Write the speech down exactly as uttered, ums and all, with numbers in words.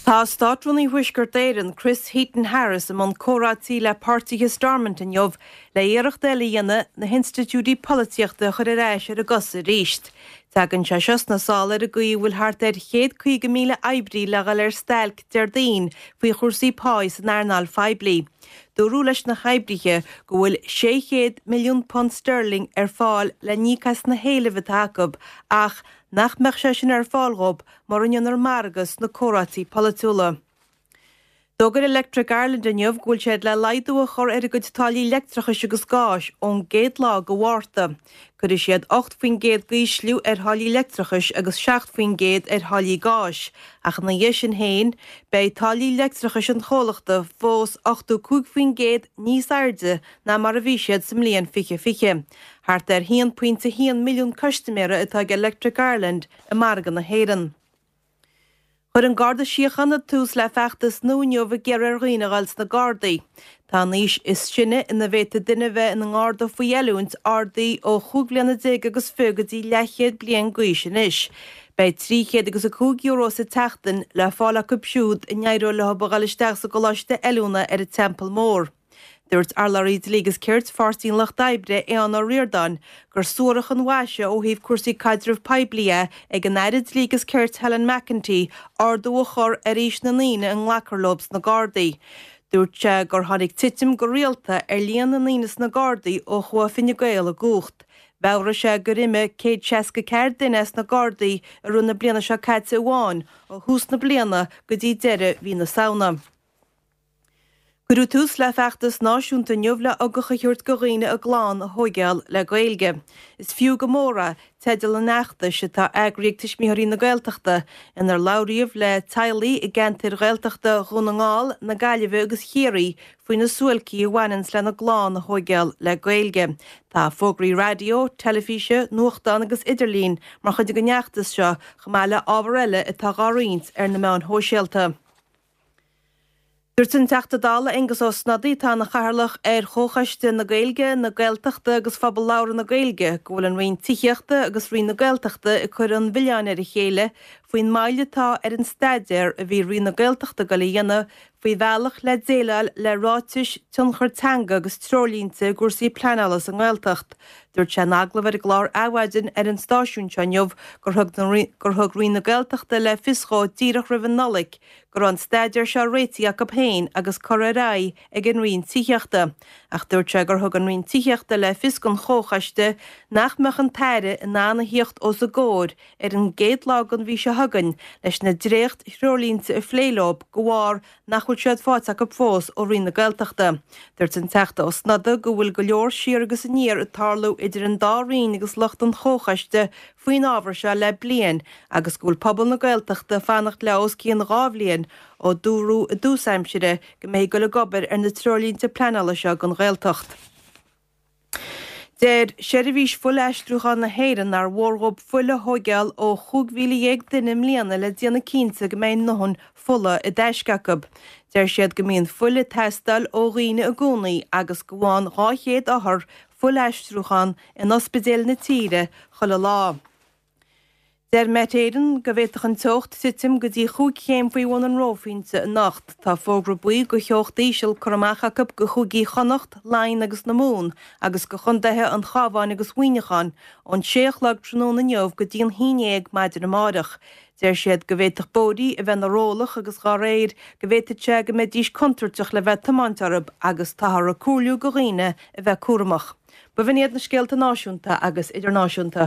Tá Státrúnaí Thuaisceart Éireann Chris Heaton Harris i mbun comhráití le páirtithe Stormont inniu le iarracht eile a dhéanamh na hinstitiúidí polaitíochta a chur ar ais ar a gcosa arís. Tagann sé seo sna sála ar an gcaoi a bhfuil thart ar chéad caoga míle oibrí le dhul ar stailc Déardaoin faoi chúrsaí páí san earnáil phoiblí. Dúradh leis na hoibrithe go bhfuil sé chéad milliún punt sterling ar fáil le n-íoc as na héilimh atá acu ach nach mbeadh sé sin ar fáil dhóibh mura ndéantar margadh sna comhráití polaitiúla. D'fhógair Electric Ireland inniu go bhfuil siad le laghdú a chur ar a gcuid táillí leictreachais agus gáis ón gcéad lá de Mhárta. Cuirfidh siad ocht faoin gcéad d'ísliú ar tháillí leictreachais agus seacht faoin gcéad ar tháillí gáis, ach ina dhiaidh sin féin, beidh táillí leictreachais an chomhlachta fós ochtó cúig faoin gcéad níos airde ná mar a bhí siad sa mbliain fiche fiche. Thart ar haon pointe haon milliún custaiméara atá ag Electric Ireland i margadh na hÉireann. Chuir an Garda Síochána tús le feachtas nua inniu ag iarraidh ar dhaoine a dhul sna Gardaí. Tá an aois is sine ina bhféadfaidh duine bheith ina ngarda faoi oiliúint ardaithe ó chúig bhliana déag agus fiche go dtí leathchéad bliain d'aois anois. Beidh trí chéad agus a cúig euro sa tseachtain le fáil acu siúd a n-éireoidh leo a dhul isteach sa gcoláiste oiliúna ar an Teampall Mór. Dúirt urlabhraí Dlí agus Cirt Pháirtí an Lucht Oibre Aodhán Ó Ríordáin gur suarach an mhaise ó thaobh cúrsaí caidrimh poiblí é ag an Aire Dlí agus Cirt Helen McEntee ardú a chur ar aois na ndaoine a nglacfar leo sna Gardaí. Dúirt sé gur tháinig titim go rialta ar líon na ndaoine sna Gardaí ó chuaigh Fine Gael i gcumhacht. Mheabhraigh sé gur imigh céad seasca ceathair duine as na Gardaí i rith na bliana seo caite amháin ó thús na bliana go dtí deireadh mhí na Samhna. Cuireadh tús le feachtas náisiúnta inniu le ugach a thabhairt do dhaoine a gclann a thógáil le Gaeilge. Is fiú go mór é teideal an fheachtais atá eagraithe ag Tuismitheoirí na Gaeltachta, inar labhraíodh le teaghlaigh i gceantair Ghaeltachta Dhún na nGall, na Gaillimhe agus Chiarraí faoi na suáilcí a bhaineanns lena gclann a thógáil le Gaeilge. Tá fógraí raidió, teilifíse, nuachtán agus idirlín mar chuid den fheachtas seo chomh maith le ábhar eile atá á roinnt ar na meáin shóisialta. Dúirt an Teachta Dála Aengus Ó Snodaigh atá ina chathaoirleach ar Chomhchoiste na Gaeilge, na Gaeltachta agus Phobal Labhartha na Gaeilge go bhfuil an Roinn Tithíochta agus Roinn na Gaeltachta ag cur an mhilleáin ar a chéile faoin moill atá ar an staidéar a bhí Roinn na Gaeltachta ag dul a dhéanamh faoi bhealach le déileáil le ráitis tionchar teanga agus treoirlínte i gcúrsaí pleanála sa nGaeltacht. Dúirt sé in agallamh ar an gclár Adhmhaidin ar an stáisiún seo inniu gur thug gur thug Roinn na Gaeltachta le fios dhó díreach roimh an Nollaig go raibh an staidéar seo réitithe acu féin agus curtha ar aghaidh ag an Roinn Tithíochta. Ach dúirt sé gur thug an Roinn Tithíochta le fios don Chomhchoiste nach mbeadh an tAire in ann a theacht os a gcomhair ar an gcéad lá den mhí seo chugainn leis na dréacht-threoirlínte a phlé leo de bharr nach bhfuil siad faighte acu fós ó Roinn na Gaeltachta. Dúirt an Teachta Ó Snodaigh go bhfuil go leor siar agus aniar ag tarlú idir an dá roinn agus lucht an Chomhchoiste faoin ábhar seo le bliain agus go bhfuil pobal na Gaeltachta fanacht le os cionn dhá bhliain ó dúradh i dtús aimsire go mbeidh dul ag obair ar na treoirlínte pleanála seo don Ghaeltacht. Deir Seirbhís Fuilaistriúcháin na hÉireann nár mhór dhóibh fuil a thógáil ó chúig mhíle dhéag duine i mbliana le déanamh cinnte go mbeidh a ndóthain fola i dtaisce acu. Deir siad go mbíonn fuil ag teastáil ó dhaoine i gcónaí agus go bhfaigheann dhá chéad othar fuilaistriúchán in ospidéil na tíre chuile lá. Deir Met Éireann go bhféadfadh an teocht titim go dtí chúig chéim faoi bhun an reophointe anocht. Tá fógra buí do theocht íseal curtha amach acu do chúigí Chonnacht, Laighean agus na Mumhan agus do chontaetha an Chabháin agus Mhuineacháin ón sé a chlog tráthnóna inniu go dtí an haon déag maidin amárach. Deir siad go bhféadfadh bóithrí a bheith ina rollach agus dá réir go bhféadfadh sé go mbeidís contúirteach le bheith ag tiomáint orthu agus táthar ag comhairliú do dhaoine a bheith cúramach. B'in iad na scéalta náisiúnta agus idirnáisiúnta.